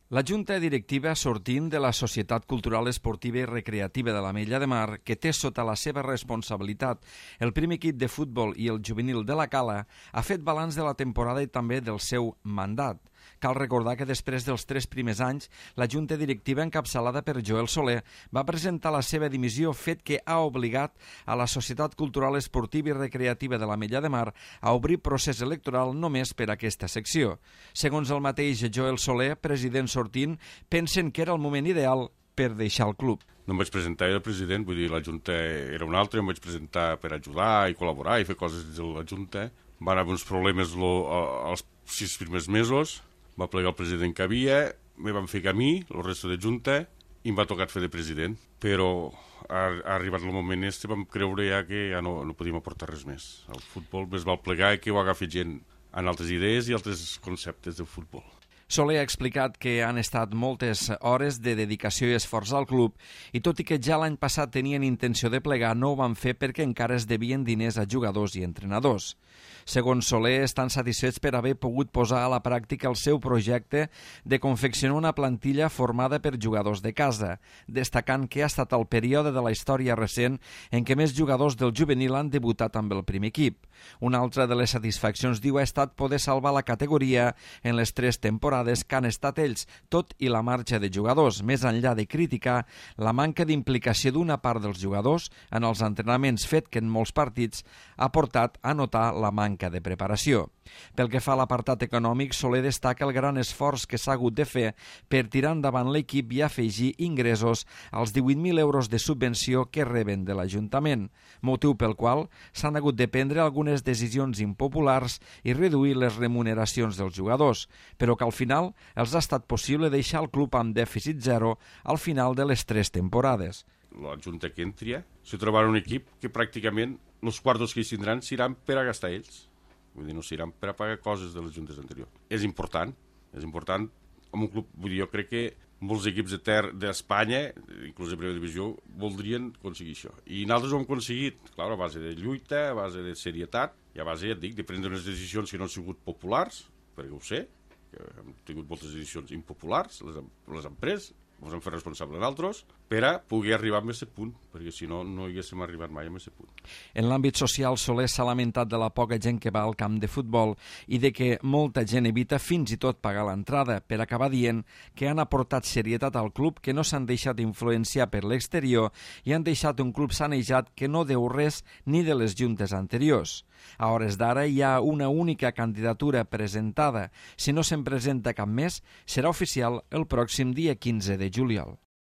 La Junta Directiva sortint de la Societat Cultural Esportiva i Recreativa de l'Ametlla de Mar, que té sota la seva responsabilitat el primer equip de futbol i el juvenil de la Cala, ha fet balanç de la temporada i també del seu mandat. Cal recordar que després dels 3 primers anys, la Junta Directiva encapçalada per Joel Soler va presentar la seva dimissió, fet que ha obligat a la Societat Cultural Esportiva i Recreativa de l'Ametlla de Mar a obrir procés electoral només per a aquesta secció. Segons el mateix Joel Soler, president sortint, pensen que era el moment ideal per deixar el club. No em vaig presentar el president, vull dir, la Junta era una altra, em vaig presentar per ajudar i col·laborar i fer coses dins de la Junta. Van haver uns problemes els 6 primers mesos, va plegar el president que havia, me van fer camí, el resto de Junta, i em va tocar fer de president. Però ha arribat el moment este, vam creure ja que ja no podíem aportar res més. El futbol més val plegar i que ho agafi gent en altres idees i altres conceptes del futbol. Soler ha explicat que han estat moltes hores de dedicació i esforç al club i tot i que ja l'any passat tenien intenció de plegar, no ho van fer perquè encara es devien diners a jugadors i entrenadors. Segons Soler, estan satisfets per haver pogut posar a la pràctica el seu projecte de confeccionar una plantilla formada per jugadors de casa, destacant que ha estat el període de la història recent en què més jugadors del juvenil han debutat amb el primer equip. Una altra de les satisfaccions, diu, ha estat poder salvar la categoria en les 3 temporades que han estat ells, tot i la marxa de jugadors, més enllà de criticar la manca d'implicació d'una part dels jugadors en els entrenaments, fet que en molts partits ha portat a notar la manca de preparació. Pel que fa a l'apartat econòmic, Soler destaca el gran esforç que s'ha hagut de fer per tirar endavant l'equip i afegir ingressos als 18.000 euros de subvenció que reben de l'Ajuntament, motiu pel qual s'han hagut de prendre algunes decisions impopulars i reduir les remuneracions dels jugadors, però que al final els ha estat possible deixar el club amb dèficit zero al final de les 3 temporades. La Junta que entri se trobarà un equip que pràcticament els quartos que hi tindran seran per a gastar ells. Vull dir, no seran per a pagar coses de les juntes anteriors. És important amb un club, vull dir, jo crec que molts equips d'Espanya, inclús de primera divisió, voldrien aconseguir això. I nosaltres ho hem aconseguit, clar, a base de lluita, a base de serietat, i a base, ja et dic, de prendre unes decisions que no han sigut populars, perquè ho sé, que hem tingut moltes decisions impopulars, les hem pres, ens hem fet responsables d'altres, per a poder arribar a aquest punt, perquè si no, no haguéssim arribat mai a aquest punt. En l'àmbit social, Soler s'ha lamentat de la poca gent que va al camp de futbol i de que molta gent evita fins i tot pagar l'entrada, per acabar dient que han aportat serietat al club, que no s'han deixat influenciar per l'exterior i han deixat un club sanejat que no deu res ni de les juntes anteriors. A hores d'ara hi ha una única candidatura presentada. Si no se'n presenta cap més, serà oficial el pròxim dia 15 de juliol.